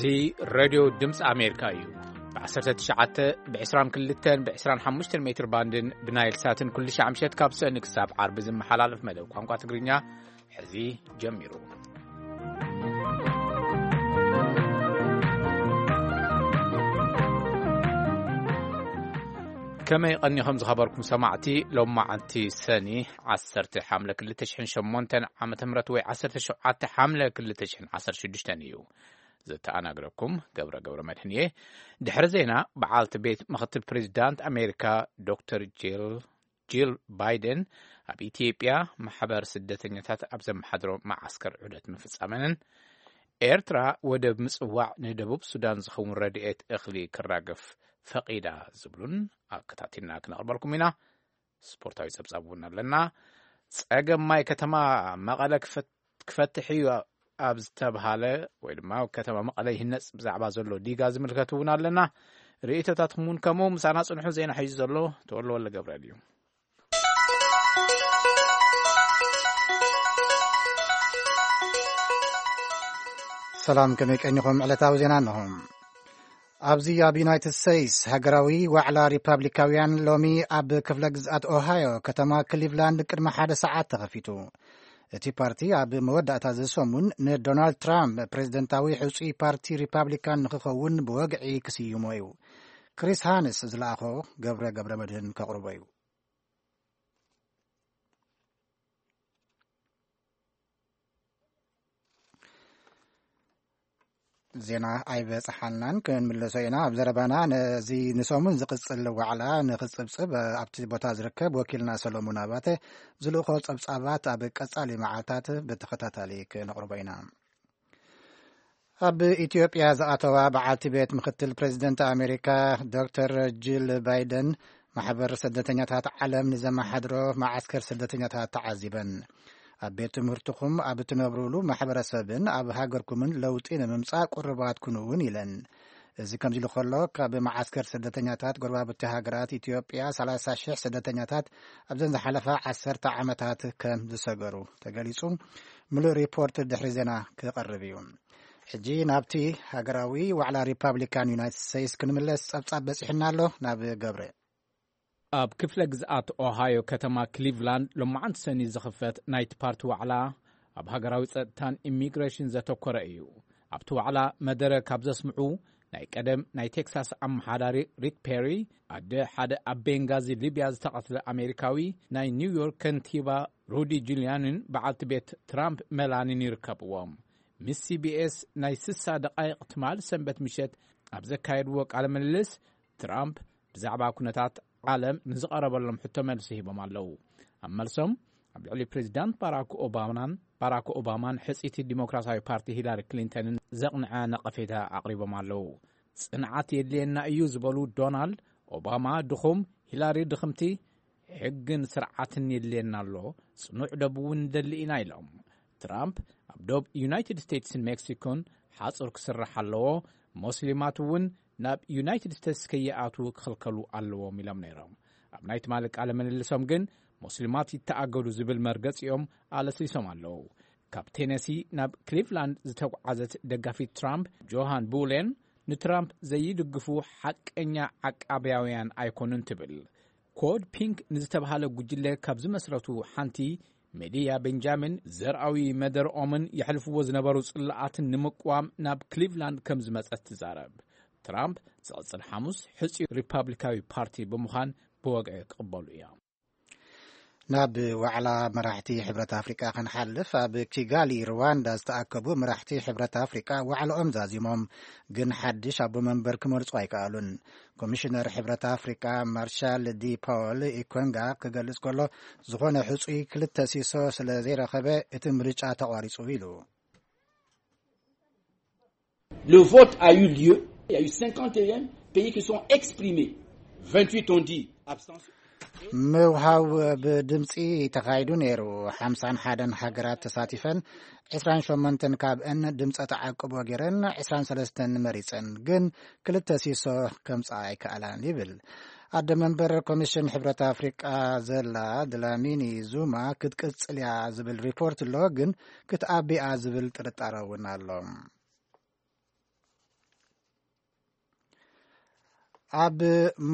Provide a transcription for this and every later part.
እዚ ሬድዮ ድምፂ ኣሜሪካ እዩ። ብ19፣ ብ22፣ ብ25 ሜትር ባንድን ብናይል ሳትን ኩሉ ሻዕ ምሸት ካብ ሰኒ ክሳብ ዓርቢ ዝመሓላለፍ መደብ ቋንቋ ትግርኛ ሕዚ ጀሚሩ። ከመይ ቀኒኹም ዝኸበርኩም ሰማዕቲ? ሎማዓንቲ ሰኒ 10 ሓምለ 2008 ዓመተ ምህረት ወይ 17 ሓምለ 2016 እዩ። ዘተኣናግረኩም ገብረ ገብረ መድህን እየ። ድሕሪ ዜና፣ በዓልቲ ቤት ምኽትል ፕሬዚዳንት ኣሜሪካ ዶክተር ጂል ጂል ባይደን ኣብ ኢትዮጵያ ማሕበር ስደተኛታት ኣብ ዘመሓድሮ መዓስከር ዑደት ምፍጻመንን ኤርትራ ወደብ ምጽዋዕ ንደቡብ ሱዳን ዝኸውን ረድኤት እኽሊ ክራገፍ ፈቒዳ ዝብሉን ኣከታቲልና ክነቕርበልኩም ኢና። ስፖርታዊ ጸብጻብ እውን ኣለና። ጸገም ማይ ከተማ መቐለ ክፈት-፣ ክፈትሕ እዩ ኣብ ዝተብሃለ ወይ ድማ ከተማ መቐለ ይህነጽ ብዛዕባ ዘሎ ዲጋ ዝምልከት እውን ኣለና። ርእይቶታትኩም እውን ከምኡ። ምሳና ጽንሑ። ዜና ሒዙ ዘሎ ተወልደ ወልደ ገብርኤል እዩ። ሰላም፣ ከመይ ቀኒኹም? ዕለታዊ ዜና እንሆ። ኣብዚ ኣብ ዩናይትድ ስቴትስ ሃገራዊ ዋዕላ ሪፓብሊካውያን ሎሚ ኣብ ክፍለ ግዝኣት ኦሃዮ ከተማ ክሊቭላንድ ቅድሚ ሓደ ሰዓት ተኸፊቱ። እቲ ፓርቲ ኣብ መወዳእታ እዚ ሰሙን ንዶናልድ ትራምፕ ፕሬዝደንታዊ ሕጹይ ፓርቲ ሪፓብሊካን ንኽኸውን ብወግዒ ክስይሞ እዩ። ክሪስ ሃንስ ዝለኣኾ ገብረ ገብረ መድህን ከቕርቦ እዩ። ዜና ኣይበጽሓናን፣ ክንምለሶ ኢና። ኣብ ዘረባና፣ ነዚ ንሰሙን ዝቕጽል ዋዕላ ንኽጽብጽብ ኣብቲ ቦታ ዝርከብ ወኪልና ሰሎሞን ኣባተ ዝልእኾ ጸብጻባት ኣብ ቀጻሊ መዓልታት ብተኸታታሊ ክነቕርቦ ኢና። ኣብ ኢትዮጵያ ዝኣተዋ በዓልቲ ቤት ምኽትል ፕሬዚደንት ኣሜሪካ ዶክተር ጂል ባይደን፣ ማሕበር ስደተኛታት ዓለም ንዘመሓድሮ መዓስከር ስደተኛታት ተዓዚበን። ኣብ ቤት ትምህርትኹም፣ ኣብ እትነብሩሉ ማሕበረሰብን ኣብ ሃገርኩምን ለውጢ ንምምጻእ ቁርባት ኩኑ እውን ኢለን። እዚ ከምዚ ኢሉ ከሎ፣ ካብ መዓስከር ስደተኛታት ጎረባብቲ ሃገራት ኢትዮጵያ 30,000 ስደተኛታት ኣብዘን ዝሓለፋ 10 ዓመታት ከም ዝሰገሩ ተገሊጹ። ምሉእ ሪፖርት ድሕሪ ዜና ክቐርብ እዩ። ሕጂ ናብቲ ሃገራዊ ዋዕላ ሪፓብሊካን ዩናይትድ ስቴትስ ክንምለስ ጸብጻብ በጺሑና ኣሎ። ናብ ገብረ። ኣብ ክፍለ ግዝኣት ኦሃዮ ከተማ ክሊቭላንድ ሎማዓንቲ ሰኒ ዝኽፈት ናይቲ ፓርቲ ዋዕላ ኣብ ሃገራዊ ጸጥታን ኢሚግሬሽን ዘተኮረ እዩ። ኣብቲ ዋዕላ መደረ ካብ ዘስምዑ፣ ናይ ቀደም ናይ ቴክሳስ ኣመሓዳሪ ሪክ ፔሪ፣ ኣደ ሓደ ኣብ ቤንጋዚ ሊብያ ዝተቐትለ ኣሜሪካዊ፣ ናይ ኒውዮርክ ከንቲባ ሩዲ ጁልያንን በዓልቲ ቤት ትራምፕ ሜላኒን ይርከብዎም። ምስ ሲቢኤስ ናይ 60 ደቃይቕ ትማሊ ሰንበት ምሸት ኣብ ዘካየድዎ ቃለ ምልልስ፣ ትራምፕ ብዛዕባ ኩነታት ዓለም ንዝቐረበሎም ሕቶ መልሲ ሂቦም ኣለዉ። ኣብ መልሶም፣ ኣብ ልዕሊ ፕሬዚዳንት ባራክ ኦባማን፣ ባራክ ኦባማን ሕጽይቲ ዲሞክራሲያዊ ፓርቲ ሂላሪ ክሊንተንን ዘቕንዐ ነቐፌታ ኣቕሪቦም ኣለዉ። ጽንዓት የድልየና እዩ ዝበሉ ዶናልድ፣ ኦባማ ድኹም፣ ሂላሪ ድኽምቲ፣ ሕግን ስርዓትን የድልየና ኣሎ፣ ጽኑዕ ደብ እውን ንደሊ ኢና ኢሎም። ትራምፕ፣ ኣብ ዶብ ዩናይትድ ስቴትስን ሜክሲኮን ሓጹር ክስራሕ ኣለዎ፣ ሞስሊማት እውን ናብ ዩናይትድ ስቴትስ ከይኣትዉ ክኽልከሉ ኣለዎም ኢሎም ነይሮም። ኣብ ናይ ትማሊ ቃለ ምልልሶም ግን፣ ሞስሊማት ይተኣገዱ ዝብል መርገጺኦም ኣለስሊሶም ኣለዉ። ካብ ቴነሲ ናብ ክሊቭላንድ ዝተጓዓዘት ደጋፊት ትራምፕ፣ ጆሃን ቡሌን፣ ንትራምፕ ዘይድግፉ ሓቀኛ ዓቃብያውያን ኣይኮኑን ትብል። ኮድ ፒንክ ንዝተባሃለ ጉጅለ ካብ ዝመስረቱ ሓንቲ፣ ሜድያ ቤንጃሚን፣ ዘርኣዊ መደርኦምን የሕልፍዎ ዝነበሩ ጽላኣትን ንምቅዋም ናብ ክሊቭላንድ ከም ዝመጸት ትዛረብ። ትራምፕ ዝቕጽል ሓሙስ ሕጺ ሪፓብሊካዊ ፓርቲ ብምዃን ብወግዒ ክቕበሉ እዮም። ናብ ዋዕላ መራሕቲ ሕብረት ኣፍሪቃ ክንሓልፍ፣ ኣብ ኪጋሊ ሩዋንዳ ዝተኣከቡ መራሕቲ ሕብረት ኣፍሪቃ ዋዕላኦም ዛዚሞም፣ ግን ሓድሽ ኣቦ መንበር ክመርጹ ኣይከኣሉን። ኮሚሽነር ሕብረት ኣፍሪቃ ማርሻል ዲ ፓውል ኢኮንጋ ክገልጽ ከሎ፣ ዝኾነ ሕጹይ ክልተ ሲሶ ስለ ዘይረኸበ እቲ ምርጫ ተቋሪጹ ኢሉ። Le vote a eu lieu. Il y a eu 51 pays qui sont exprimés. 28 ont dit abstention. ምውሃው ብድምፂ ተኻይዱ ነይሩ። ሓምሳን ሓደን ሃገራት ተሳቲፈን፣ ዕስራን ሸሞንተን ካብአን ድምፀ ተዓቅቦ ገይረን፣ ዕስራን ሰለስተን መሪፀን፣ ግን ክልተ ሲሶ ከምፃ ኣይከኣላን ይብል። ኣደ መንበር ኮሚሽን ሕብረት ኣፍሪቃ ዘላ ድላሚኒ ዙማ ክትቅፅል እያ ዝብል ሪፖርት ኣሎ፣ ግን ክትኣቢ እያ ዝብል ጥርጣረ እውን ኣሎ። ኣብ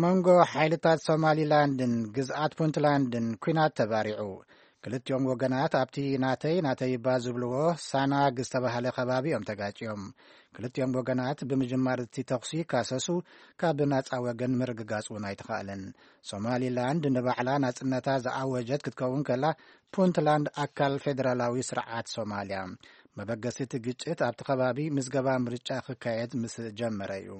መንጎ ሓይልታት ሶማሊላንድን ግዝኣት ፑንትላንድን ኲናት ተባሪዑ። ክልቲኦም ወገናት ኣብቲ ናተይ ናተይ እባ ዝብልዎ ሳናግ ዝተባህለ ከባቢ እዮም ተጋጭዮም። ክልቲኦም ወገናት ብምጅማር እቲ ተኹሲ ካሰሱ፣ ካብ ናጻ ወገን ምርግጋጽ እውን ኣይተኻእለን። ሶማሊላንድ ንባዕላ ናጽነታ ዝኣወጀት ክትከውን ከላ፣ ፑንትላንድ ኣካል ፌደራላዊ ስርዓት ሶማልያ። መበገሲ እቲ ግጭት ኣብቲ ከባቢ ምዝገባ ምርጫ ክካየድ ምስ ጀመረ እዩ።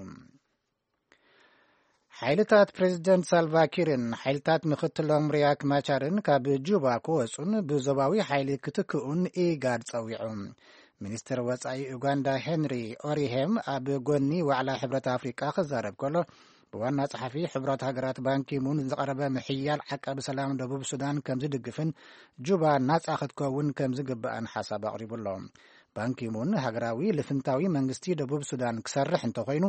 ሓይልታት ፕሬዚደንት ሳልቫኪርን ሓይልታት ምክትሎም ሪያክ ማቻርን ካብ ጁባ ክወፁን ብዞባዊ ሓይሊ ክትክኡን ኢጋድ ጸዊዑ። ሚኒስትር ወጻኢ ኡጋንዳ ሄንሪ ኦሪሄም ኣብ ጎኒ ዋዕላ ሕብረት ኣፍሪቃ ክዛረብ ከሎ፣ ብዋና ጸሓፊ ሕብረት ሃገራት ባንኪሙን ዝቐረበ ምሕያል ዓቃቢ ሰላም ደቡብ ሱዳን ከም ዝድግፍን ጁባ ናጻ ክትከውን ከም ዝግባእን ሓሳብ ኣቕሪቡ ኣሎ። ባንኪሙን ሃገራዊ ልፍንታዊ መንግስቲ ደቡብ ሱዳን ክሰርሕ እንተኾይኑ፣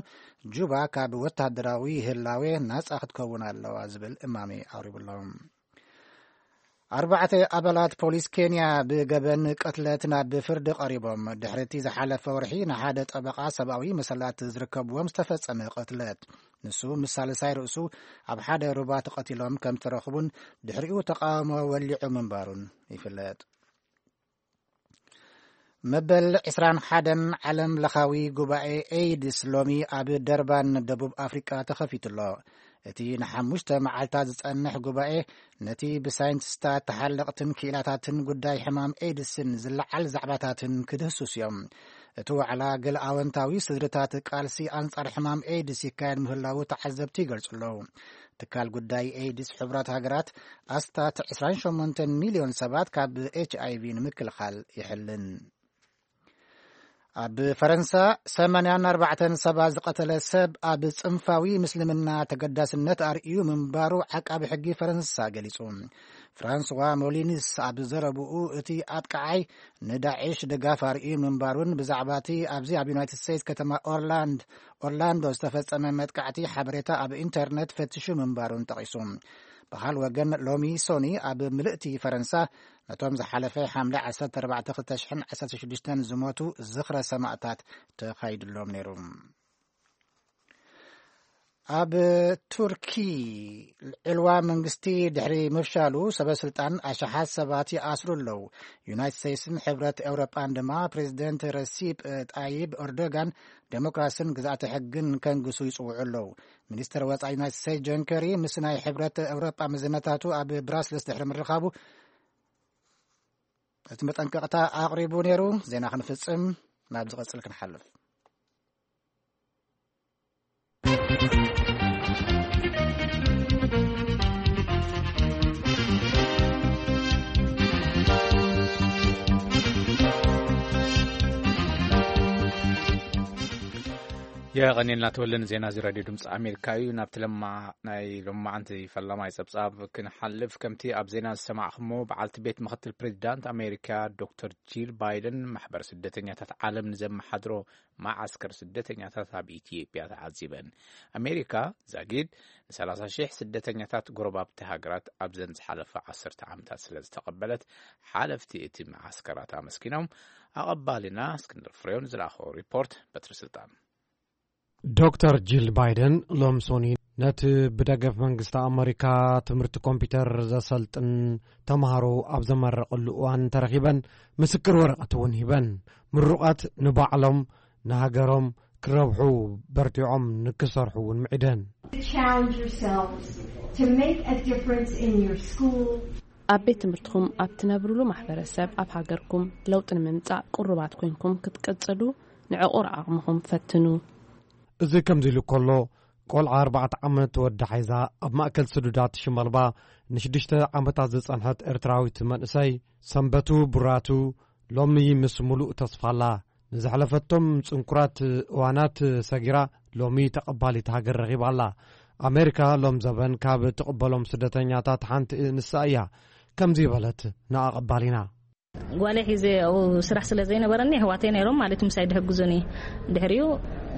ጁባ ካብ ወታደራዊ ህላዌ ናጻ ክትከውን ኣለዋ ዝብል እማሜ ኣቕሪቡ ኣሎ። ኣርባዕተ ኣባላት ፖሊስ ኬንያ ብገበን ቅትለት ናብ ፍርዲ ቀሪቦም፣ ድሕሪ እቲ ዝሓለፈ ወርሒ ንሓደ ጠበቓ ሰብኣዊ መሰላት ዝርከብዎም ዝተፈጸመ ቅትለት። ንሱ ምስ ሳልሳይ ርእሱ ኣብ ሓደ ሩባ ተቐቲሎም ከም ተረኽቡን ድሕሪኡ ተቃውሞ ወሊዑ ምንባሩን ይፍለጥ። መበል ዕስራን ሓደን ዓለም ለኻዊ ጉባኤ ኤይድስ ሎሚ ኣብ ደርባን ደቡብ ኣፍሪቃ ተኸፊቱ ኣሎ። እቲ ንሓሙሽተ መዓልታት ዝጸንሕ ጉባኤ ነቲ ብሳይንቲስታት ተሓለቕትን ክኢላታትን ጉዳይ ሕማም ኤይድስን ዝለዓል ዛዕባታትን ክድህስስ እዮም። እቲ ዋዕላ ገለ ኣወንታዊ ስድርታት ቃልሲ ኣንጻር ሕማም ኤይድስ ይካየድ ምህላዉ ተዓዘብቲ ይገልጹ ኣለዉ። ትካል ጉዳይ ኤይድስ ሕቡራት ሃገራት ኣስታት ዕስራን ሸሞንተን ሚልዮን ሰባት ካብ ኤች ኣይ ቪ ንምክልኻል ይሕልን። ኣብ ፈረንሳ ሰማንያን ኣርባዕተን ሰባት ዝቐተለ ሰብ ኣብ ጽንፋዊ ምስልምና ተገዳስነት ኣርእዩ ምንባሩ ዓቃቢ ሕጊ ፈረንሳ ገሊጹ። ፍራንስዋ ሞሊኒስ ኣብ ዘረብኡ፣ እቲ ኣጥቃዓይ ንዳዕሽ ድጋፍ ኣርእዩ ምንባሩን ብዛዕባ እቲ ኣብዚ ኣብ ዩናይትድ ስቴትስ ከተማ ኦርላንድ-፣ ኦርላንዶ ዝተፈጸመ መጥቃዕቲ ሓበሬታ ኣብ ኢንተርነት ፈትሹ ምንባሩን ጠቒሱ። ብኻል ወገን ሎሚ ሶኒ ኣብ ምልእቲ ፈረንሳ ነቶም ዝሓለፈ ሓምለ ዓሰርተ ኣርባዕተ ክልተ ሽሕን ዓሰርተ ሽዱሽተን ዝሞቱ ዝኽረ ሰማእታት ተኻይድሎም ነይሩ። ኣብ ቱርኪ ዕልዋ መንግስቲ ድሕሪ ምፍሻሉ ሰበ ስልጣን ኣሽሓት ሰባት ይኣስሩ ኣለዉ። ዩናይትድ ስቴትስን ሕብረት ኤውሮጳን ድማ ፕሬዚደንት ረሲፕ ጣይብ ኤርዶጋን ዴሞክራስን ግዝኣተ ሕግን ከንግሱ ይጽውዑ ኣለዉ። ሚኒስትር ወጻኢ ዩናይትድ ስቴትስ ጆን ኬሪ ምስ ናይ ሕብረት ኤውሮጳ መዘነታቱ ኣብ ብራስልስ ድሕሪ ምርኻቡ እቲ መጠንቀቕታ ኣቕሪቡ ነይሩ። ዜና ክንፍጽም ናብ ዝቐጽል ክንሓልፍ። የቐኔልና ተወለ ንዜና እዚ ራድዮ ድምፂ ኣሜሪካ እዩ። ናብቲ ለማ-፣ ናይ ሎማዓንቲ ፈላማይ ጸብጻብ ክንሓልፍ፣ ከምቲ ኣብ ዜና ዝሰማዕኹሞ፣ በዓልቲ ቤት ምኽትል ፕሬዚዳንት ኣሜሪካ ዶክተር ጂል ባይደን ማሕበር ስደተኛታት ዓለም ንዘመሓድሮ መዓስከር ስደተኛታት ኣብ ኢትዮጵያ ተዓዚበን። ኣሜሪካ ዛጊድ ንሰላሳ ሺሕ ስደተኛታት ጎረባብቲ ሃገራት ኣብዘን ዝሓለፈ ዓሰርተ ዓመታት ስለ ዝተቐበለት፣ ሓለፍቲ እቲ መዓስከራት ኣመስጊኖም። ኣቐባሊና እስክንድር ፍሬውን ዝለኣኾ ሪፖርት በትሪ ስልጣን። ዶክተር ጂል ባይደን ሎም ሶኒ ነቲ ብደገፍ መንግስቲ ኣመሪካ ትምህርቲ ኮምፒውተር ዘሰልጥን ተምሃሮ ኣብ ዘመረቐሉ እዋን ተረኺበን ምስክር ወረቐት እውን ሂበን። ምሩቓት ንባዕሎም ንሃገሮም ክረብሑ በርቲዖም ንክሰርሑ እውን ምዒደን። Challenge yourselves to make a difference in your school. ኣብ ቤት ትምህርትኹም፣ ኣብ ትነብሩሉ ማሕበረሰብ፣ ኣብ ሃገርኩም ለውጢ ንምምጻእ ቅሩባት ኮይንኩም ክትቅጽሉ ንዕቑር ዓቕምኹም ፈትኑ። እዚ ከምዚ ኢሉ ከሎ፣ ቆልዓ ኣርባዕተ ዓመት ወዲ ሓይዛ ኣብ ማእከል ስዱዳት ሽመልባ ንሽዱሽተ ዓመታት ዝጸንሐት ኤርትራዊት መንእሰይ ሰንበቱ ቡራቱ ሎሚ ምስ ሙሉእ ተስፋ ኣላ። ንዘሕለፈቶም ጽንኩራት እዋናት ሰጊራ ሎሚ ተቐባሊት ሃገር ረኺባ ኣላ። ኣሜሪካ ሎም ዘበን ካብ ትቕበሎም ስደተኛታት ሓንቲ ንሳ እያ። ከምዚ በለት ንኣቐባሊና። ጓለይ ሒዘ ኣብኡ ስራሕ ስለ ዘይነበረኒ፣ ኣሕዋተይ ነይሮም ማለት እዩ ምሳይ ድሕግዙኒ። ድሕሪኡ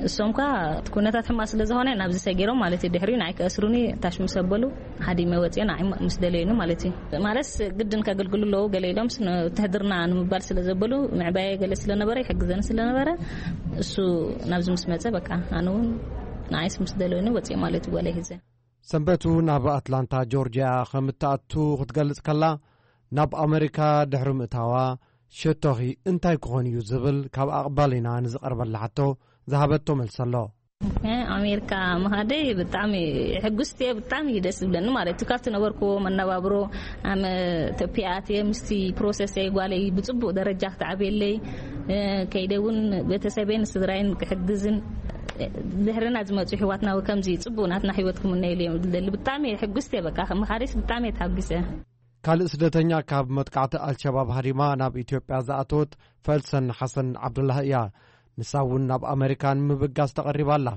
እሶም ከ እቲ ኩነታት ሕማቕ ስለ ዝኾነ ናብዚ ሰጊሮም ማለት እዩ። ድሕሪኡ ንዓይ ክኣስሩኒ ታሽ ምስ ኣበሉ፣ ሃዲመ ወፅየ ንዓይ ምስ ደለዩኒ ማለት እዩ። ማለትስ ግድን ከገልግሉ ኣለዉ ገለ ኢሎምስ፣ ንውትህድርና ንምባል ስለ ዘበሉ፣ ምዕባየ ገለ ስለ ነበረ፣ ይሕግዘኒ ስለ ነበረ፣ እሱ ናብዚ ምስ መፀ፣ በቃ ኣነ እውን ንዓይስ ምስ ደለኒ ወፅእ ማለት እዩ ጓለይ ሂዘ። ሰንበቱ ናብ ኣትላንታ ጆርጅያ ከም እትኣቱ ክትገልጽ ከላ፣ ናብ ኣመሪካ ድሕሪ ምእታዋ፣ ሸቶኺ እንታይ ክኾን እዩ ዝብል ካብ ኣቕባሊና ንዝቐርበላ ሕቶ ዝሃበቶ መልሲ ኣሎ። ኣሜሪካ ምሃደይ ብጣዕሚ ሕጉስቲ እየ። ብጣዕሚ እዩ ደስ ዝብለኒ ማለት እዩ። ካብቲ ነበርኩዎ መነባብሮ ኣመ ተፒኣት እየ ምስቲ ፕሮሰሰይ ጓለይ ብፅቡቅ ደረጃ ክትዓብየለይ፣ ከይደ እውን ቤተሰበይን ስድራይን ክሕግዝን ድሕርና ዝመፁ ሕዋትና ከምዚ ፅቡቅ ናትና ህይወት ክምነየሉ እዮም ዝደሊ። ብጣዕሚ ሕጉስቲ እየ። በቃ ከም መሃሪስ ብጣዕሚ እየ ተሓጒሰ። ካልእ ስደተኛ ካብ መጥቃዕቲ ኣልሸባብ ሃዲማ ናብ ኢትዮጵያ ዝኣተወት ፈልሰን ሓሰን ዓብዱላህ እያ። ንሳ እውን ናብ ኣመሪካ ንምብጋስ ተቐሪባ ኣላ።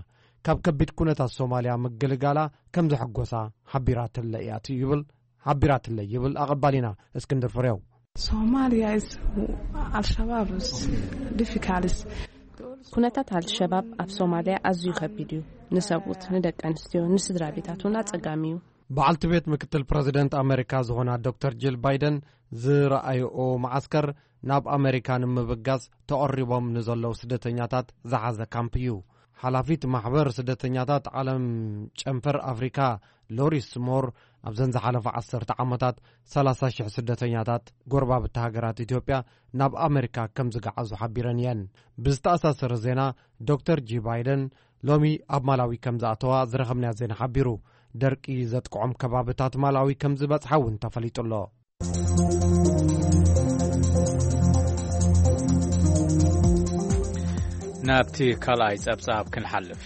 ካብ ከቢድ ኩነታት ሶማልያ ምግልጋላ ከም ዘሐጎሳ ሓቢራትለ እያ ይብል ሓቢራትለ ይብል ኣቐባሊና እስክንድር ፍሬው። Somalia is Al-Shabaab is difficult. ኩነታት ኣልሸባብ ኣብ ሶማልያ ኣዝዩ ከቢድ እዩ። ንሰብኡት፣ ንደቂ ኣንስትዮ፣ ንስድራ ቤታት እውን ኣጸጋሚ እዩ። በዓልቲ ቤት ምክትል ፕረዚደንት ኣመሪካ ዝኾና ዶክተር ጂል ባይደን ዝረኣይኦ መዓስከር ናብ ኣመሪካ ንምብጋስ ተቐሪቦም ንዘለዉ ስደተኛታት ዝሓዘ ካምፕ እዩ። ሓላፊት ማሕበር ስደተኛታት ዓለም ጨንፈር ኣፍሪካ ሎሪስ ሞር ኣብዘን ዝሓለፈ ዓሰርተ ዓመታት ሰላሳ ሽሕ ስደተኛታት ጎረባብቲ ሃገራት ኢትዮጵያ ናብ ኣመሪካ ከም ዝገዓዙ ሓቢረን እየን። ብዝተኣሳሰረ ዜና ዶክተር ጂ ባይደን ሎሚ ኣብ ማላዊ ከም ዝኣተዋ ዝረኸብናዮ ዜና ሓቢሩ። ደርቂ ዘጥቅዖም ከባብታት ማላዊ ከም ዝበጽሓ እውን ተፈሊጡ ኣሎ። ናብቲ ካልኣይ ጸብጻብ ክንሓልፍ።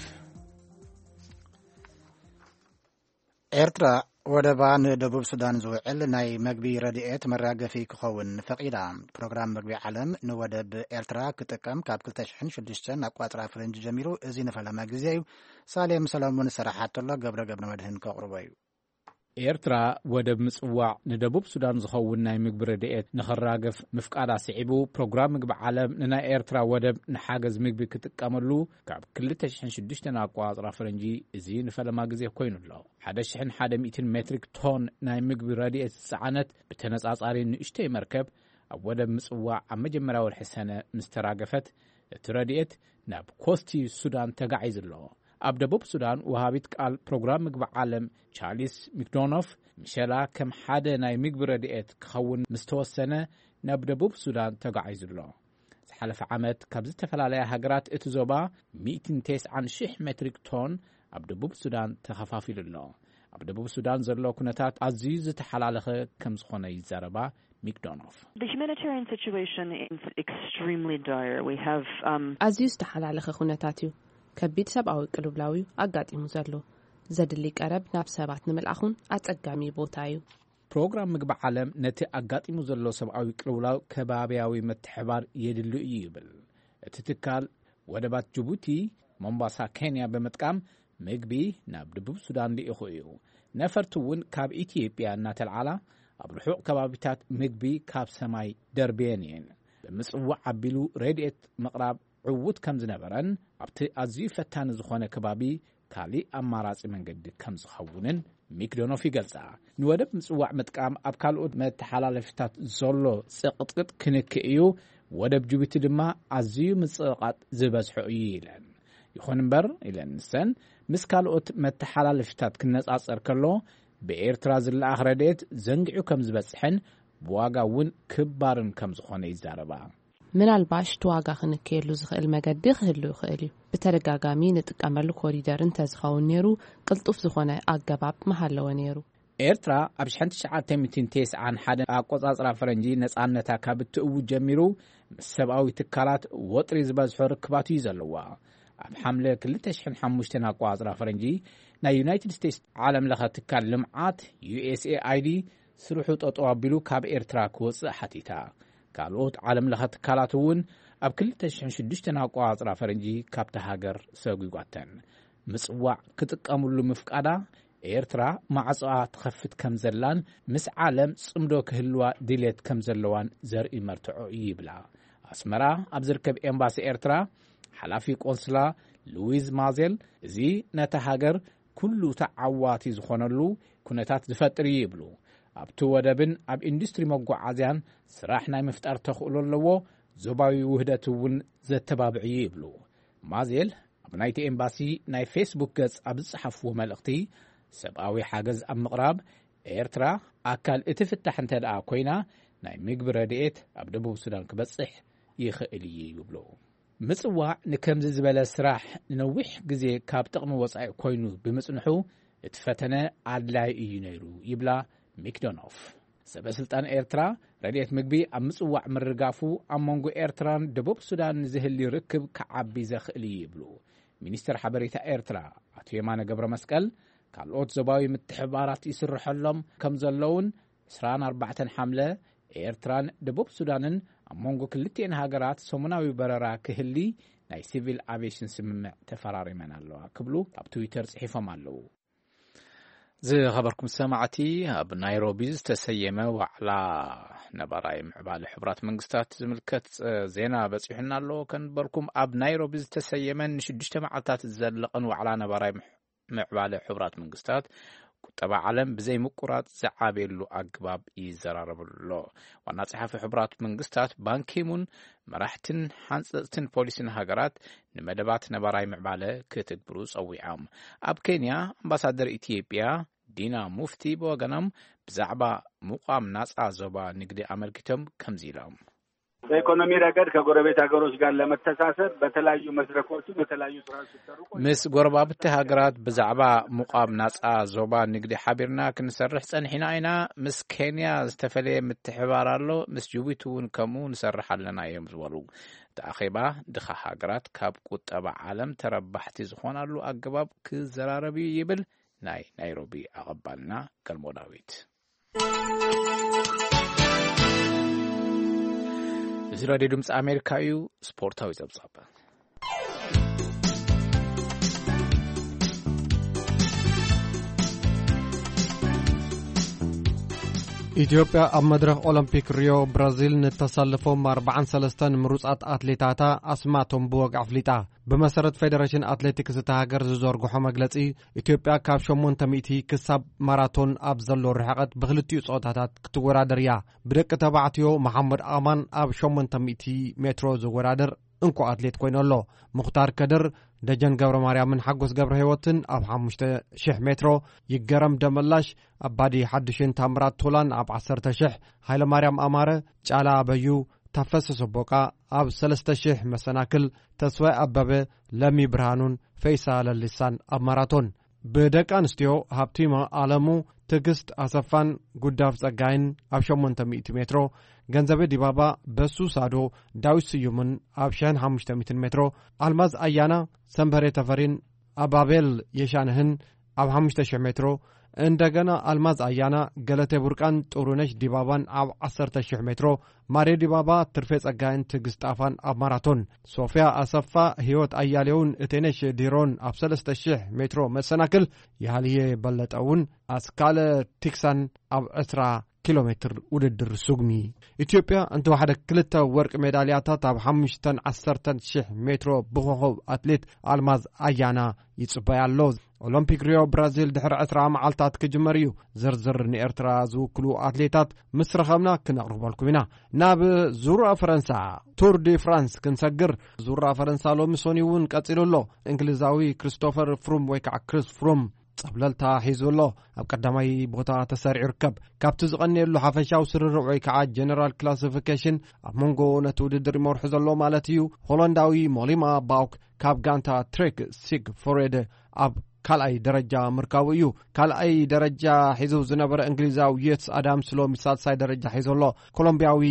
ኤርትራ ወደባ ንደቡብ ሱዳን ዝውዕል ናይ መግቢ ረድኤት መራገፊ ክኸውን ፈቒዳ። ፕሮግራም መግቢ ዓለም ንወደብ ኤርትራ ክጥቀም ካብ ክልተ ሽሕን ሽዱሽተን ኣቋጽራ ፈረንጂ ጀሚሩ እዚ ንፈለማ ግዜ እዩ። ሳሌም ሰለሙን ዝሰራሓቶ ኣሎ፣ ገብረ ገብረ መድህን ከቕርቦ እዩ። ኤርትራ ወደብ ምጽዋዕ ንደቡብ ሱዳን ዝኸውን ናይ ምግቢ ረድኤት ንኽራገፍ ምፍቃዳ ስዒቡ፣ ፕሮግራም ምግቢ ዓለም ንናይ ኤርትራ ወደብ ንሓገዝ ምግቢ ክጥቀመሉ ካብ ክልተ ሽሕን ሽዱሽተን ኣቋጽራ ፈረንጂ እዚ ንፈለማ ግዜ ኮይኑ ኣሎ። ሓደ ሽሕን ሓደ ሚእትን ሜትሪክ ቶን ናይ ምግቢ ረድኤት ዝጸዓነት ብተነጻጻሪ ንእሽተይ መርከብ ኣብ ወደብ ምጽዋዕ ኣብ መጀመርያ ወርሒ ሰነ ምስ ተራገፈት፣ እቲ ረድኤት ናብ ኮስቲ ሱዳን ተጋዒዙ ኣሎ። ኣብ ደቡብ ሱዳን ወሃቢት ቃል ፕሮግራም ምግቢ ዓለም ቻርሊስ ሚክዶኖፍ፣ ምሸላ ከም ሓደ ናይ ምግቢ ረድኤት ክኸውን ምስ ተወሰነ ናብ ደቡብ ሱዳን ተጋዒዙ ኣሎ። ዝሓለፈ ዓመት ካብ ዝተፈላለያ ሃገራት እቲ ዞባ ሚእትን ተስዓን ሽሕ ሜትሪክ ቶን ኣብ ደቡብ ሱዳን ተኸፋፊሉ ኣሎ። ኣብ ደቡብ ሱዳን ዘሎ ኩነታት ኣዝዩ ዝተሓላለኸ ከም ዝኾነ ይዛረባ ሚክዶኖፍ። The humanitarian situation is extremely dire. We have um, ኣዝዩ ዝተሓላለኸ ኩነታት እዩ። ከቢድ ሰብኣዊ ቅልውላው እዩ ኣጋጢሙ ዘሎ። ዘድሊ ቀረብ ናብ ሰባት ንምልኣኹን ኣጸጋሚ ቦታ እዩ። ፕሮግራም ምግቢ ዓለም ነቲ ኣጋጢሙ ዘሎ ሰብኣዊ ቅልውላው ከባብያዊ ምትሕባር የድሊ እዩ ይብል። እቲ ትካል ወደባት ጅቡቲ፣ ሞምባሳ፣ ኬንያ ብምጥቃም ምግቢ ናብ ደቡብ ሱዳን ልኢኹ እዩ። ነፈርቲ እውን ካብ ኢትዮጵያ እናተልዓላ ኣብ ርሑቕ ከባቢታት ምግቢ ካብ ሰማይ ደርብየን እየን። ብምጽዋዕ ኣቢሉ ረድኤት ምቕራብ ዕዉት ከም ዝነበረን ኣብቲ ኣዝዩ ፈታኒ ዝኾነ ከባቢ ካሊእ ኣማራጺ መንገዲ ከም ዝኸውንን ሚክዶኖፍ ይገልጻ። ንወደብ ምጽዋዕ ምጥቃም ኣብ ካልኦት መተሓላለፊታት ዘሎ ጽቕጥቅጥ ክንክእ እዩ። ወደብ ጅቡቲ ድማ ኣዝዩ ምጽቕቓጥ ዝበዝሖ እዩ ኢለን። ይኹን እምበር ኢለን ንሰን፣ ምስ ካልኦት መተሓላለፊታት ክነጻጸር ከሎ ብኤርትራ ዝለኣኽ ረድኤት ዘንጊዑ ከም ዝበጽሕን ብዋጋ እውን ክባርን ከም ዝኾነ ይዛረባ። ምናልባሽ እቲ ዋጋ ክንከየሉ ዝኽእል መገዲ ክህሉ ይኽእል እዩ። ብተደጋጋሚ ንጥቀመሉ ኮሪደር እንተዝኸውን ነይሩ፣ ቅልጡፍ ዝኾነ ኣገባብ ምሃለወ ነይሩ። ኤርትራ ኣብ ሽሕን ትሽዓተ ሚእትን ተስዓን ሓደን ኣቆጻጽራ ፈረንጂ ነጻነታ ካብ እትእውጅ ጀሚሩ ምስ ሰብኣዊ ትካላት ወጥሪ ዝበዝሖ ርክባት እዩ ዘለዋ። ኣብ ሓምለ ክልተ ሽሕን ሓሙሽተን ኣቆጻጽራ ፈረንጂ ናይ ዩናይትድ ስቴትስ ዓለም ለኸ ትካል ልምዓት ዩ ኤስ ኤ ኣይ ዲ ስርሑ ጠጠው ኣቢሉ ካብ ኤርትራ ክወጽእ ሓቲታ። ካልኦት ዓለም ለኸ ትካላት እውን ኣብ ክልተ ሽሕን ሽዱሽተን ኣቆጻጽራ ፈረንጂ ካብታ ሃገር ሰጒጓተን። ምጽዋዕ ክጥቀምሉ ምፍቃዳ ኤርትራ ማዕጾኣ ትኸፍት ከም ዘላን ምስ ዓለም ጽምዶ ክህልዋ ድሌት ከም ዘለዋን ዘርኢ መርትዖ እዩ ይብላ። ኣስመራ ኣብ ዝርከብ ኤምባሲ ኤርትራ ሓላፊ ቆንስላ ሉዊዝ ማዜል፣ እዚ ነታ ሃገር ኩሉ ተዓዋቲ ዝኾነሉ ኩነታት ዝፈጥር እዩ ይብሉ። ኣብቲ ወደብን ኣብ ኢንዱስትሪ መጓዓዝያን ስራሕ ናይ ምፍጣር ተኽእሎ ኣለዎ፣ ዞባዊ ውህደት እውን ዘተባብዕ እዩ ይብሉ። ማዜል ኣብ ናይቲ ኤምባሲ ናይ ፌስቡክ ገጽ ኣብ ዝጸሓፍዎ መልእኽቲ፣ ሰብኣዊ ሓገዝ ኣብ ምቕራብ ኤርትራ ኣካል እቲ ፍታሕ እንተ ደኣ ኮይና፣ ናይ ምግቢ ረድኤት ኣብ ደቡብ ሱዳን ክበጽሕ ይኽእል እዩ ይብሉ። ምጽዋዕ ንከምዚ ዝበለ ስራሕ ንነዊሕ ግዜ ካብ ጥቕሚ ወጻኢ ኮይኑ ብምጽንሑ፣ እቲ ፈተነ ኣድላዪ እዩ ነይሩ ይብላ ሚክዶኖፍ። ሰበ ስልጣን ኤርትራ፣ ረድኤት ምግቢ ኣብ ምጽዋዕ ምርጋፉ ኣብ መንጎ ኤርትራን ደቡብ ሱዳን ዝህሊ ርክብ ክዓቢ ዘኽእል እዩ ይብሉ። ሚኒስትር ሓበሬታ ኤርትራ ኣቶ የማነ ገብረ መስቀል፣ ካልኦት ዞባዊ ምትሕባራት ይስርሐሎም ከም ዘለውን፣ ዕስራን ኣርባዕተን ሓምለ ኤርትራን ደቡብ ሱዳንን ኣብ መንጎ ክልቲኤን ሃገራት ሰሙናዊ በረራ ክህሊ ናይ ሲቪል ኣቪዬሽን ስምምዕ ተፈራሪመን ኣለዋ ክብሉ ኣብ ትዊተር ጽሒፎም ኣለዉ። ዝኸበርኩም ሰማዕቲ፣ ኣብ ናይሮቢ ዝተሰየመ ዋዕላ ነባራይ ምዕባለ ሕቡራት መንግስታት ዝምልከት ጸ-፣ ዜና በጺሑና ኣሎ። ከንበርኩም ኣብ ናይሮቢ ዝተሰየመን ንሽዱሽተ መዓልታት ዝዘለቐን ዋዕላ ነባራይ ምዕ-፣ ምዕባለ ሕቡራት መንግስታት ቁጠባ ዓለም ብዘይ ምቁራጽ ዝዓብየሉ ኣግባብ ይዘራረበሉ ኣሎ። ዋና ጸሓፊ ሕቡራት መንግስታት ባንኪሙን መራሕትን ሓንጸጽትን ፖሊሲን ሃገራት ንመደባት ነባራይ ምዕባለ ክትግብሩ ጸዊዖም። ኣብ ኬንያ ኣምባሳደር ኢትዮጵያ ዲና ሙፍቲ ብወገኖም ብዛዕባ ምቋም ናጻ ዞባ ንግዲ ኣመልኪቶም ከምዚ ኢሎም። በኢኮኖሚ ረገድ ከጎረቤት ሀገሮች ጋር ለመተሳሰር በተለያዩ መድረኮች በተለያዩ ስራዎች ሲሰሩ ቆይተዋል። ምስ ጎረባብቲ ሃገራት ብዛዕባ ምቋም ናጻ ዞባ ንግዲ ሓቢርና ክንሰርሕ ጸኒሕና ኢና። ምስ ኬንያ ዝተፈለየ ምትሕባር ኣሎ፣ ምስ ጅቡቲ እውን ከምኡ ንሰርሕ ኣለና እዮም ዝበሉ። እቲ ኣኼባ ድኻ ሃገራት ካብ ቁጠባ ዓለም ተረባሕቲ ዝኾናሉ ኣገባብ ክዘራረብ እዩ ይብል ናይ ናይሮቢ ኣቐባልና ገልሞ ዳዊት። እዚ ራድዮ ድምፂ ኣሜሪካ እዩ። ስፖርታዊ ጸብጻብ። ኢትዮጵያ ኣብ መድረኽ ኦሎምፒክ ሪዮ ብራዚል ንተሳለፎም ኣርባዓን ሰለስተን ምሩጻት ኣትሌታታ ኣስማቶም ብወግዒ ኣፍሊጣ። ብመሰረት ፌደሬሽን ኣትሌቲክስ እታ ሃገር ዝዘርግሖ መግለጺ፣ ኢትዮጵያ ካብ ሸሞንተ ሚእቲ ክሳብ ማራቶን ኣብ ዘሎ ርሕቐት ብክልቲኡ ጾታታት ክትወዳደር እያ። ብደቂ ተባዕትዮ መሓመድ ኣማን ኣብ ሸሞንተ ሚእቲ ሜትሮ ዝወዳደር እንኮ ኣትሌት ኮይኑ ኣሎ። ሙኽታር ከድር፣ ደጀን ገብረ ማርያምን ሓጎስ ገብረ ህይወትን ኣብ ሓሙሽተ ሽሕ ሜትሮ፣ ይገረም ደመላሽ፣ ኣባዲ ሓድሽን ታምራት ቶላን ኣብ ዓሰርተ ሽሕ፣ ሃይለማርያም ኣማረ፣ ጫላ ኣበዩ፣ ታፈሰ ሰቦቃ ኣብ ሰለስተ ሽሕ መሰናክል፣ ተስፋይ ኣበበ፣ ለሚ ብርሃኑን ፈይሳ ለሊሳን ኣብ ማራቶን። ብደቂ ኣንስትዮ ሃብቲማ ኣለሙ፣ ትዕግስት ኣሰፋን ጉዳፍ ጸጋይን ኣብ ሸሞንተ ሚእቲ ሜትሮ፣ ገንዘበ ዲባባ፣ በሱ ሳዶ፣ ዳዊት ስዩምን ኣብ ሽሕን ሓሙሽተ ሚእትን ሜትሮ፣ ኣልማዝ ኣያና፣ ሰንበሬ ተፈሪን ኣባቤል የሻንህን ኣብ ሓሙሽተ ሽሕ ሜትሮ፣ እንደገና ኣልማዝ ኣያና፣ ገለቴ ቡርቃን ጥሩነሽ ዲባባን ኣብ ዓሰርተ ሽሕ ሜትሮ፣ ማርዮ ዲባባ፣ ትርፌ ጸጋይን ትዕግስት ጣፋን ኣብ ማራቶን፣ ሶፊያ ኣሰፋ፣ ህይወት ኣያሌውን እቴነሽ ዲሮን ኣብ ሰለስተ ሽሕ ሜትሮ መሰናክል፣ ይሃልየ በለጠ እውን ኣስካለ ቲክሳን ኣብ ዕስራ ኪሎ ሜትር ውድድር ሱግሚ። ኢትዮጵያ እንተወሓደ ክልተ ወርቂ ሜዳልያታት ኣብ ሓሙሽተን ዓሰርተን ሽሕ ሜትሮ ብኾኾብ ኣትሌት ኣልማዝ ኣያና ይጽበያ ኣሎ። ኦሎምፒክ ሪዮ ብራዚል ድሕሪ ዕስራ መዓልታት ክጅመር እዩ። ዝርዝር ንኤርትራ ዝውክሉ ኣትሌታት ምስ ረኸብና ክነቕርበልኩም ኢና። ናብ ዙራ ፈረንሳ፣ ቱር ዲ ፍራንስ ክንሰግር። ዙራ ፈረንሳ ሎሚ ሰኑይ እውን ቀጺሉ ኣሎ። እንግሊዛዊ ክሪስቶፈር ፍሩም ወይ ከዓ ክሪስ ፍሩም ጸብለልታ ሒዙ ኣሎ። ኣብ ቀዳማይ ቦታ ተሰሪዑ ይርከብ። ካብቲ ዝቐንየሉ ሓፈሻዊ ስርርዕ ወይ ከዓ ጀነራል ክላሲፊኬሽን ኣብ መንጎ ነቲ ውድድር ይመርሑ ዘሎ ማለት እዩ። ሆላንዳዊ ሞሊማ ባውክ ካብ ጋንታ ትሬክ ሲግ ፎሬድ ኣብ ካልኣይ ደረጃ ምርካቡ እዩ። ካልኣይ ደረጃ ሒዙ ዝነበረ እንግሊዛዊ የትስ ኣዳምስ ሎሚ ሳልሳይ ደረጃ ሒዙ ኣሎ። ኮሎምቢያዊ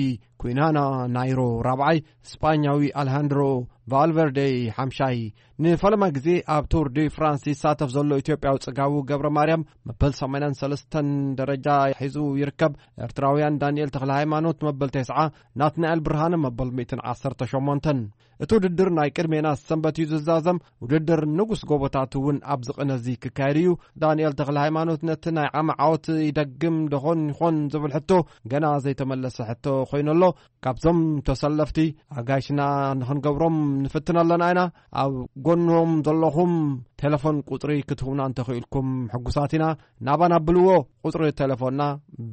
ኩናና ናይሮ ራብዓይ፣ ስጳኛዊ ኣልሃንድሮ ቫልቨርዴ ሓምሻይ። ንፈለማ ግዜ ኣብ ቱር ዲ ፍራንስ ይሳተፍ ዘሎ ኢትዮጵያዊ ጽጋቡ ገብረ ማርያም መበል ሰማንያን ሰለስተን ደረጃ ሒዙ ይርከብ። ኤርትራውያን ዳንኤል ተኽለ ሃይማኖት መበል ተስዓ፣ ናትናኤል ብርሃነ መበል ሚእትን ዓሰርተ ሸሞንተን። እቲ ውድድር ናይ ቅድሜና ሰንበት እዩ ዝዛዘም። ውድድር ንጉስ ጎቦታት እውን ኣብዚ ቅነ እዚ ክካየድ እዩ። ዳንኤል ተኽለ ሃይማኖት ነቲ ናይ ዓሚ ዓወት ይደግም ደኾን ይኾን ዝብል ሕቶ ገና ዘይተመለሰ ሕቶ ኮይኑ ኣሎ። ካብዞም ተሰለፍቲ ኣጋይሽና ንኽንገብሮም ንፍትን ኣለና ኢና። ኣብ ጎኖም ዘለኹም ቴሌፎን ቁጽሪ ክትህቡና እንተኽኢልኩም ሕጉሳት ኢና። ናባና ኣብልዎ። ቁጽሪ ቴሌፎንና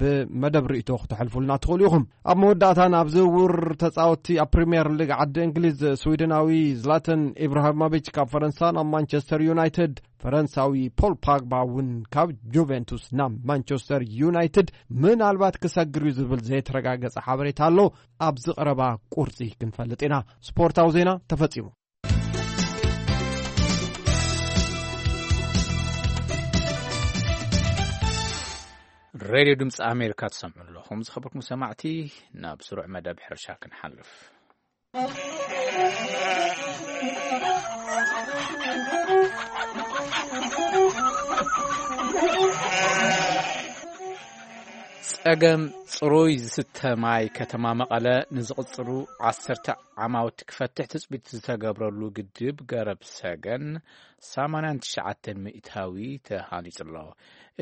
ብመደብ ርእይቶ ክተሕልፉልና ትኽእሉ ኢኹም። ኣብ መወዳእታ፣ ናብ ዝውውር ተጻወትቲ ኣብ ፕሪምየር ሊግ ዓዲ እንግሊዝ፣ ስዊድናዊ ዝላተን ኢብራሂሞቪች ካብ ፈረንሳ ናብ ማንቸስተር ዩናይትድ፣ ፈረንሳዊ ፖል ፓግባ እውን ካብ ጁቬንቱስ ናብ ማንቸስተር ዩናይትድ ምናልባት ክሰግር እዩ ዝብል ዘይተረጋገጸ ሓበሬታ ኣሎ። ኣብዚ ቀረባ ቁርጺ ክንፈልጥ ኢና። ስፖርታዊ ዜና ተፈጺሙ። ሬድዮ ድምፂ ኣሜሪካ ትሰምዑ ኣለኹም። ዝኸበርኩም ሰማዕቲ፣ ናብ ስሩዕ መደብ ሕርሻ ክንሓልፍ። ጸገም ጽሩይ ዝስተ ማይ ከተማ መቐለ ንዝቕጽሉ ዓሰርተ ዓማውቲ ክፈትሕ ትጽቢት ዝተገብረሉ ግድብ ገረብ ሰገን ሰማንያን ትሽዓተን ሚእታዊ ተሃኒጹ ኣሎ።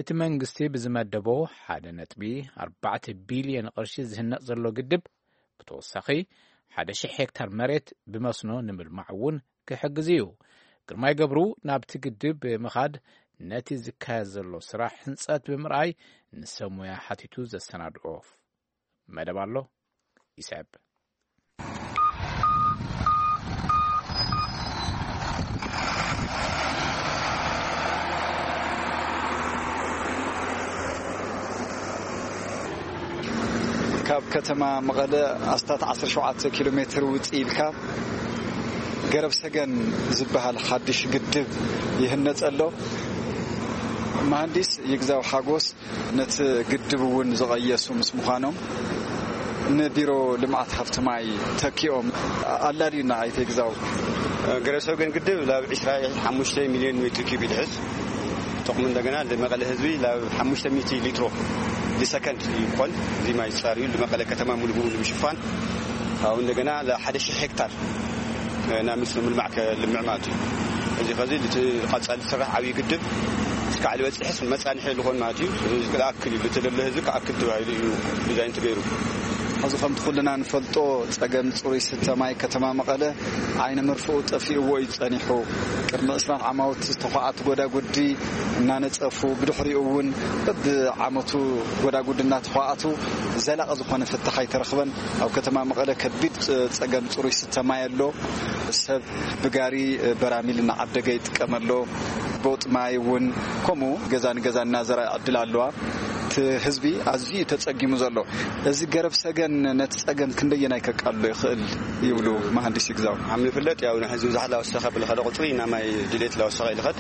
እቲ መንግስቲ ብዝመደቦ ሓደ ነጥቢ ኣርባዕተ ቢልዮን ቅርሺ ዝህነጽ ዘሎ ግድብ፣ ብተወሳኺ ሓደ ሺሕ ሄክታር መሬት ብመስኖ ንምልማዕ እውን ክሕግዝ እዩ። ግርማይ ገብሩ ናብቲ ግድብ ብምኻድ ነቲ ዝካየድ ዘሎ ስራሕ ህንጸት ብምርኣይ ንሰብ ሞያ ሓቲቱ ዘሰናድኦ መደብ ኣሎ። ይስዕብ። ካብ ከተማ መቐለ ኣስታት ዓሰርተ ሸውዓተ ኪሎ ሜትር ውፅእ ኢልካ ገረብ ሰገን ዝበሃል ሓድሽ ግድብ ይህነፅ ኣሎ። መሃንዲስ ይግዛው ሓጎስ ነቲ ግድብ እውን ዝቐየሱ ምስ ምዃኖም፣ ንቢሮ ልምዓት ሃፍቲ ማይ ተኪኦም ኣላልዩና። ኣይተ ይግዛው። ገረብ ሰገን ግድብ ላብ ዕስራ ሓሙሽተ ሚልዮን ሜትር ኪዩብ ይድሕዝ። ጥቕሙ እንደገና ንመቐለ ህዝቢ ላብ ሓሙሽተ ሚእቲ ሊትሮ ብሰከንድ ይኾን እዚ ማይ ዝፃር እዩ። ንመቐለ ከተማ ሙሉ ብሙሉ ንምሽፋን፣ ካብኡ እንደገና ለ ሓደ ሺሕ ሄክታር ናብ መስኖ ምልማዕ ከልምዕ ማለት እዩ። እዚ ኸዚ እቲ ቀጻሊ ዝስራሕ ዓብዪ ግድብ እስካዕ ዝበፅሕስ መፃንሒ ዝኾን ማለት እዩ። እዚ ክኣክል እዩ፣ እቲ ለለ ህዝቢ ክኣክል ተባሂሉ እዩ ዲዛይን ተገይሩ። ሕዚ ከምቲ ኩልና ንፈልጦ፣ ጸገም ጽሩይ ስተ ማይ ከተማ መቐለ ዓይኒ መርፍኡ ጠፊእዎ እዩ ጸኒሑ። ቅድሚ ዕስራን ዓማውቲ ዝተዃዓቱ ጎዳጉዲ እናነጸፉ፣ ብድሕሪኡ እውን በብዓመቱ ጎዳጉዲ እናተዃዓቱ ዘላቒ ዝኾነ ፍታሕ ኣይተረኽበን። ኣብ ከተማ መቐለ ከቢድ ጸ-፣ ጸገም ጽሩይ ስተ ማይ ኣሎ። ሰብ ብጋሪ በራሚል እናዓደገ ይጥቀም ኣሎ። ቦጥ ማይ እውን ከምኡ ገዛ ንገዛ እናዘራ ዕድል ኣለዋ። እቲ ህዝቢ ኣዝዩ እዩ ተጸጊሙ ዘሎ። እዚ ገረብ ሰገን ነቲ ጸገም ክንደየናይ ከቃልሎ ይኽእል ይብሉ መሃንዲስ ይግዛው? ኣብ ንፍለጥ ያው ንሕዚ ብዙሕ ላወሰኸ ብልኸደ ቁጽሪ ኢና ማይ ድሌት ላወሰኸ ይልኸድ።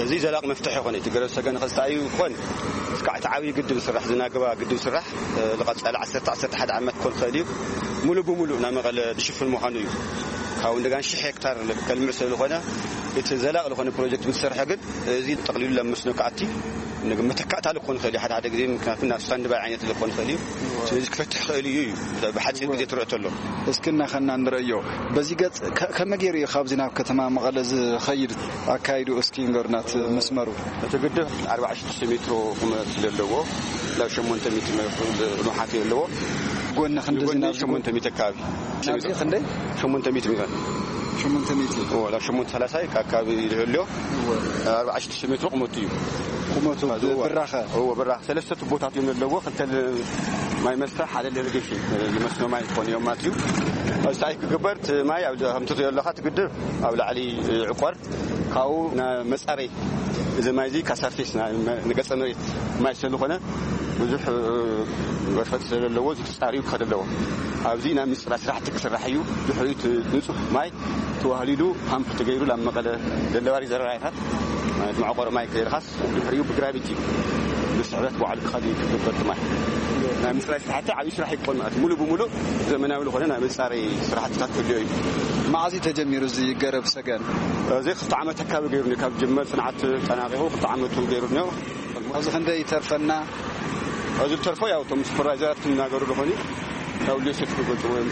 እዚ ዘላቂ መፍትሒ ይኾን። እቲ ገረብ ሰገን ኸዚ ተኣዩ ክኾን እስካዕ እቲ ዓብዪ ግድብ ስራሕ፣ ዝናገባ ግድብ ስራሕ፣ እ፣ ዝቐጸለ ዓሰርተ፣ ዓሰርተ ሓደ ዓመት ክኾን ይኽእል እዩ። ሙሉ ብሙሉ ናብ መቐለ ዝሽፍን ምዃኑ እዩ። ካብኡ እንደገና ሽሕ ሄክታር ከልምዕ ስለ ዝኾነ፣ እቲ ዘላቂ ዝኾነ ፕሮጀክት ምስ ሰርሐ ግን እዚ ጠቕሊሉ ናብ መስኖ ክኣቲ፣ ንግ-፣ መተካእታ ክኾን ይኽእል እዩ። ሓደ ሓደ ግዜ ምክንያቱ ናብ ስታንድባይ ዓይነት ክኾን ይኽእል እዩ። ስለዚ ክፈትሕ ይኽእል እዩ እዩ። ብሓፂር ግዜ ትርኦ ተሎ። እስኪ እናኸና ንርእዮ። በዚ ገጽ ከ-፣ ከመይ ገይሩ እዩ ካብዚ ናብ ከተማ መቐለ ዝኸይድ ኣካይዱ እስኪ ንገሩና እቲ መስመሩ። እቲ ግድብ ኣርባዕተ ሽዱሽተ ሜትሮ ቁመት ዘለዎ፣ ናብ ሸሞንተ ሚእቲ ሜትሮ ንውሓት ዘለዎ። ጎኒ ክንዲ ንጎኒ ዝናብ ዝጎ-፣ ሸሞንተ ሚእቲ ኣካባቢ። ናብዚ ክንደይ? ሸሞንተ ሚእቲ ሜትሮ። ሸሞንተ ሚእቲ። ኦ፣ ናብ ሸሞንተ ሰላሳ ኣካባቢ ይልህልዮ። እወ። ኣርባዕተ ሽዱሽተ ሜትሮ ቁመቱ እዩ። ቁመቱ እወ። ብራኸ? እወ፣ ብራኸ። ሰለስተ ቱቦታት እዮም ዘለዎ። ክልተ ል-፣ ማይ መስተ፣ ሓደ ል-፣ ኢሪጌሽን፣ ንመስኖ ማይ ክኾኑ እዮም ማለት እዩ። ኣብዚ እንታይ ክግበር፣ እቲ ማይ ኣብ፣ ከምቲ ትሪኦ ኣለኻ፣ እቲ ግድብ ኣብ ላዕሊ ይዕቆር። ካብኡ ናብ መጻረይ፣ እዚ ማይ እዚ ካሳርቴስ ና-፣ መ-፣ ንገጸ መሬት ማይ ስለ ዝኾነ ብዙሕ፣ እ፣ ገርፈት ስለ ዘለዎ፣ እዚ ተጻርዩ ክኸድ ኣለዎ። ኣብዚ ናይ ምጽራይ ስራሕቲ ክስራሕ እዩ። ድሕሪኡ እቲ ንጹህ ማይ ተዋህሊሉ ፓምፕ ተገይሩ ናብ መቐለ ደለባሪ ዘረራይታት፣ ማለት መዕቆሪ ማይ ክደርኻስ፣ ድሕሪኡ ብግራቪቲ ብስሕበት ባዕሉ ክኸድ እዩ ክግበር እቲ ማይ። ናይ ምጽራይ ስራሕቲ ዓብዪ ስራሕ ይኮን ማለት ሙሉ ብሙሉ ዘመናዊ ዝኾነ ናይ መጻረይ ስራሕትታት ክህልዮ እዩ። መዓዝ እዩ ተጀሚሩ እዚ ገረብ ሰገን? እዚ ክልተ ዓመት ኣካባቢ ገይሩ እኒኦ። ካብ ጅመር ጽንዓት ጠናቂቑ ክልተ ዓመቱ ገይሩ እኒኦ። ኣብዚ ክንደይ ይተርፈና? ኣብዚ ዝተርፎ ያው እቶም ሱፐርቫይዘራት ክናገሩ ዝኾኑ ያው ሌሴት ክገልጽዎ እዮም።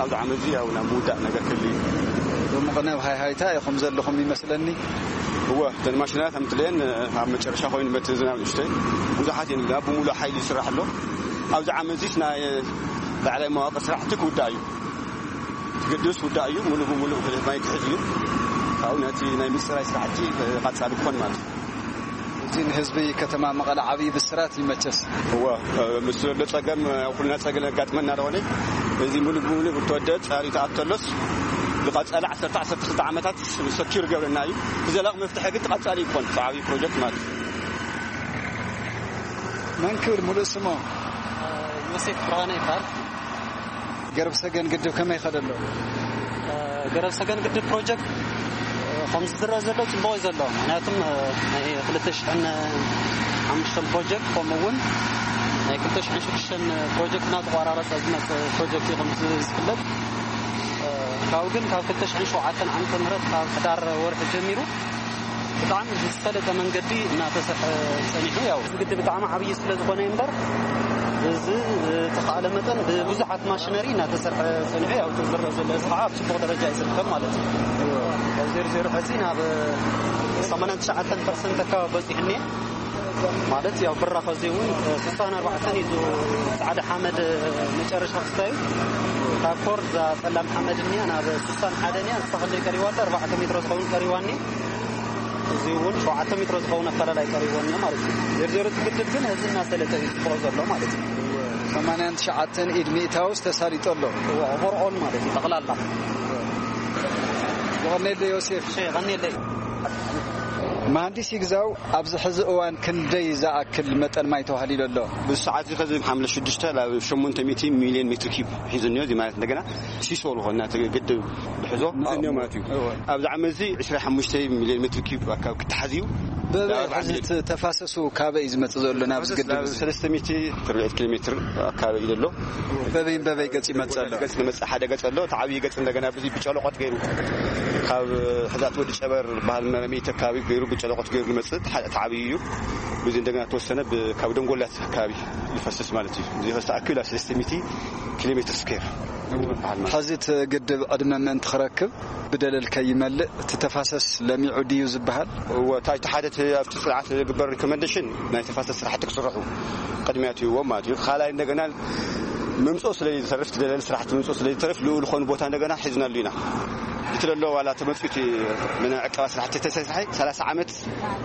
ኣብዚ ዓመት እዚ ያው ናብ ምውዳእ ነገር ክህሉ እዩ። ሎሚ ኸነ ኣብ ሃይሃይታ ኢኹም ዘለኹም ይመስለኒ። እወ፣ እተን ማሽናት ኣምጥለየን ኣብ መጨረሻ ኮይኑ በቲ ዝናብ ንእሽተይ ብዙሓት እየን ናብ ብምሉእ ሓይሊ ይስራሕ ኣሎ። ኣብዚ ዓመት እዚስ ናይ ላዕላይ መዋቅር ስራሕቲ ክውዳእ እዩ። እቲ ግድብስ ውዳእ እዩ፣ ሙሉ ብሙሉ ማይ ክሕዝ እዩ። ካብኡ ነቲ ናይ ምፅራይ ስራሕቲ ቀፃሊ ክኾን ማለት እዩ። እዚ ንህዝቢ ከተማ መቐለ ዓብዪ ብስራት ይመቸስ። እወ፣ ምስ ዘሎ ፀገም ኩልና ፀገም ኣጋጥመና ደኾነ፣ እዚ ሙሉ ብሙሉ ብተወደ ፃሪ ተኣተሎስ ዝቐፀለ ዓሰርተ ዓሰርተ ክልተ ዓመታት ሰኪር ገብረና እዩ። ብዘላቕ መፍትሒ ግን ተቐፃሊ ይኮን ዓብዪ ፕሮጀክት ማለት እዩ። መን ክብል ሙሉእ ስሞ? ዮሴፍ ብርሃነ ይበሃል። ገረብ ሰገን ግድብ ከመይ ይኸደ ኣሎ? ገረብ ሰገን ግድብ ፕሮጀክት ከምዚ ዝረአ ዘሎ ጽቡቕ እዩ ዘሎ። ምክንያቱም ናይ ክልተ ሽሕን ሓሙሽተን ፕሮጀክት ከምኡ እውን ናይ ክልተ ሽሕን ሽዱሽተን ፕሮጀክት እናተቋራረጸ ዝመጽእ ፕሮጀክት እዩ። ከምዚ ዝፍለጥ ካብኡ ግን ካብ ክልተ ሽሕን ሸውዓተን ዓመተ ምህረት ካብ ሕዳር ወርሒ ጀሚሩ ብጣዕሚ ብዝሰለጠ መንገዲ እናተሰርሐ ጸኒሑ። ያው እዚ ግድብ ብጣዕሚ ዓብዪ ስለ ዝኾነ እምበር ብዝተኻእለ መጠን ብብዙሓት ማሽነሪ እናተሰርሐ ጸኒሑ። ያው እቲ ዝረአ ዘሎ እዚ ከዓ ኣብ ጽቡቕ ደረጃ እዩ ዝርከብ ማለት እዩ። ካብ ዜሮ ዜሮ ሕዚ ናብ ሰማንያን ትሽዓተን ፐርሰንት ኣካባቢ በጺሑ እኒአ። ማለት ያው ብራኸ እዚ እውን ስሳን ኣርባዕተን እዩ። ጻዕዳ ሓመድ መጨረሻ ክስታዩ ካብ ኮር እዛ ጸላም ሓመድ እኒኣ ናብ ስሳን ሓደን እያ። ንሳ ክንደይ ቀሪባ ኣላ? ኣርባዕተ ሜትሮ ዝኸውን ቀሪባ እኒአ። እዚ እውን ሸውዓተ ሜትሮ ዝኸውን ኣፈላላይ ቀሪቦ እኒኦ ማለት እዩ። ዜርዜሮ እቲ ግድብ ግን ህዚ እናሰለጠ እዩ ዝፍሮ ዘሎ ማለት እዩ። ሰማንያን ትሽዓተን ኢድ ሚእታውስ ተሳሊጦ ኣሎ። ኦቨርኦል ማለት እዩ ጠቕላላ። የቐኔለ ዮሴፍ። የቐኔለ። መሃንዲስ ይግዛው፣ ኣብዚ ሕዚ እዋን ክንደይ ዝኣክል መጠን ማይ ተዋህሊሉ ኣሎ? ብሰዓት እዚ ከዚ ሓምለ ሽዱሽተ ናብ ሸሞንተ ሚእቲ ሚልዮን ሜትር ኪዩብ ሒዙ እኒኦ። እዚ ማለት እንደገና ሲሶ ዝኾነ ናቲ ግድብ ብሕዞ እኒኦ ማለት እዩ። ኣብዚ ዓመት እዚ ዕስራ ሓሙሽተ ሚልዮን ሜትር ኪዩብ ኣካባቢ ክተሓዝ እዩ። በበይ ናብ ሕዚ ዓሚል። እቲ ተፋሰሱ ካበይ እዩ ዝመጽእ ዘሎ ናብዚ ተፋሰስ ግድብ ናብ እዚ? ሰለስተ ሚእቲ ኣርባዕተ ኪሎ ሜትር ኣካባቢ እዩ ዘሎ። በበይን በበይ ገጽ ይመጽእ ኣሎ? ገጽ ንመጽእ ሓደ ገጽ ኣሎ። እቲ ዓብዪ ገጽ እንደገና ብዚ ብጨለቆት ገይሩ ካብ ሕዛት ወዲ ጨበር በሃል መረሚት ኣካባቢ ገይሩ ብጨለቆት ገይሩ ዝመጽእ እቲ ሓደ እቲ ዓብዪ እዩ። ብዚ እንደገና ተወሰነ ብ-፣ ካብ ደንጎላት ኣካባቢ ይፈስስ ማለት እዩ። እዚ ከስተኣክል ኣብ ሰለስተ ሚእቲ ኪሎ ሜትር ስኩዌር ዝበሃል ማለት እዩ። ሕዚ እቲ ግድብ ዕድመ ምእንቲ ክረክብ ብደለል ከይመልእ እቲ ተፋሰስ ለሚዑ ድዩ ዝበሃል? እወ፣ እታ እቲ ሓደ እቲ ኣብቲ ጽንዓት ዝግበር ሪኮመንዴሽን ናይ ተፋሰስ ስራሕቲ ክስርሑ ቅድሚያ ትህብዎም ማለት እዩ። ካልኣይ እንደገና ምምፅኦ ስለ ዝተርፍ፣ እቲ ደለል ስራሕቲ ምምፅኦ ስለ ዝተርፍ ልኡ ዝኾኑ ቦታ እንደገና ሒዝናሉ ኢና። እቲ ደሎ ዋላ ተመፅኡ እቲ ናይ ዕቀባ ስራሕቲ ተሰሪሐ ሰላሳ ዓመት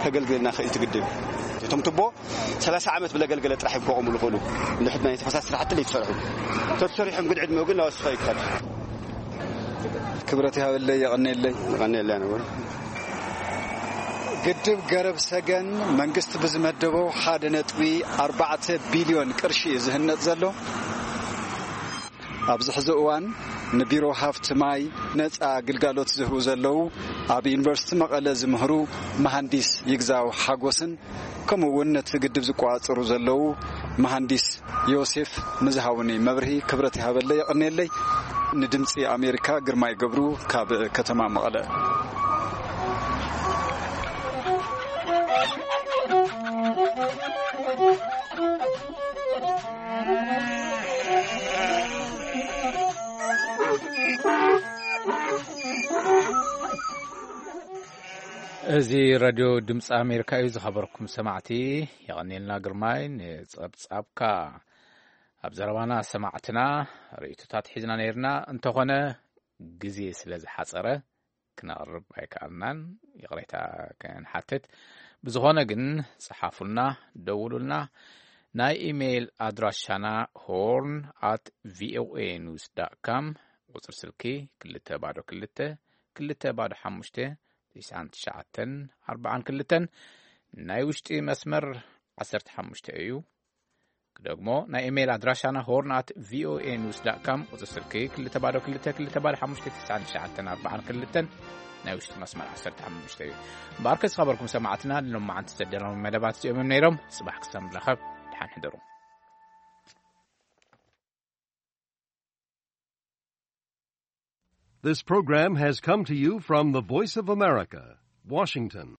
ከገልግልና ክእል ትግድብ። እቶም ቱቦ ሰላሳ ዓመት ብለገልገለ ጥራሕ ይኮቐሙ ዝኽእሉ። እንድሕር ናይ ተፈሳሲ ስራሕቲ ዘይተሰርሑ። ተተሰሪሖም ግን ዕድመኡ ግን ናወስኸ ይከድ። ክብረት ይሃበለይ፣ የቐንየለይ። የቐንየለይ ኣነ እውን። ግድብ ገረብ ሰገን መንግስቲ ብዝመደቦ ሓደ ነጥቢ ኣርባዕተ ቢልዮን ቅርሺ እዩ ዝህነጽ ዘሎ። ኣብዚ ሕዚ እዋን ንቢሮ ሃፍቲ ማይ ነጻ ግልጋሎት ዝህቡ ዘለዉ ኣብ ዩኒቨርሲቲ መቐለ ዝምህሩ መሃንዲስ ይግዛው ሓጎስን ከምኡ እውን ነቲ ግድብ ዝቆጻጸሩ ዘለዉ መሃንዲስ ዮሴፍ ንዝሃቡኒ መብርሂ ክብረት ይሃበለይ፣ የቐንየለይ። ንድምጺ ኣሜሪካ ግርማይ ገብሩ ካብ ከተማ መቐለ። እዚ ሬድዮ ድምፂ ኣሜሪካ እዩ። ዝኸበርኩም ሰማዕቲ፣ የቐንየልና ግርማይ ንጸብጻብካ። ኣብ ዘረባና ሰማዕትና ርእይቶታት ሒዝና ነይርና፣ እንተኾነ ግዜ ስለ ዝሓጸረ ክነቕርብ ኣይከኣልናን፣ ይቕሬታ ክንሓትት። ብዝኾነ ግን ጸሓፉልና፣ ደውሉልና። ናይ ኢሜይል ኣድራሻና ሆርን ኣት ቪኦኤ ኒውስ ዳት ካም፣ ቁጽሪ ስልኪ ክልተ ባዶ ክልተ፣ ክልተ ባዶ ሓሙሽተ፣ ትሽዓን ትሽዓተን ኣርባዓን ክልተን፣ ናይ ውሽጢ መስመር ዓሰርተ ሓሙሽተ እዩ። ክደግሞ፣ ናይ ኢሜይል ኣድራሻና ሆርን ኣት ቪኦኤ ኒውስ ዳት ካም፣ ቁጽሪ ስልኪ ክልተ ባዶ ክልተ፣ ክልተ ባዶ ሓሙሽተ፣ ትሽዓን ትሽዓተን ኣርባዓን ክልተን፣ ናይ ውሽጢ መስመር ዓሰርተ ሓሙሽተ እዩ። እምበኣርከ ዝኸበርኩም ሰማዕትና፣ ንሎማዓንቲ ዘዳለዎም መደባት እዚኦም እዮም ነይሮም። ጽባሕ ክሳብ ንራኸብ፣ ደሓን ሕደሩ። This program has come to you from the Voice of America, Washington.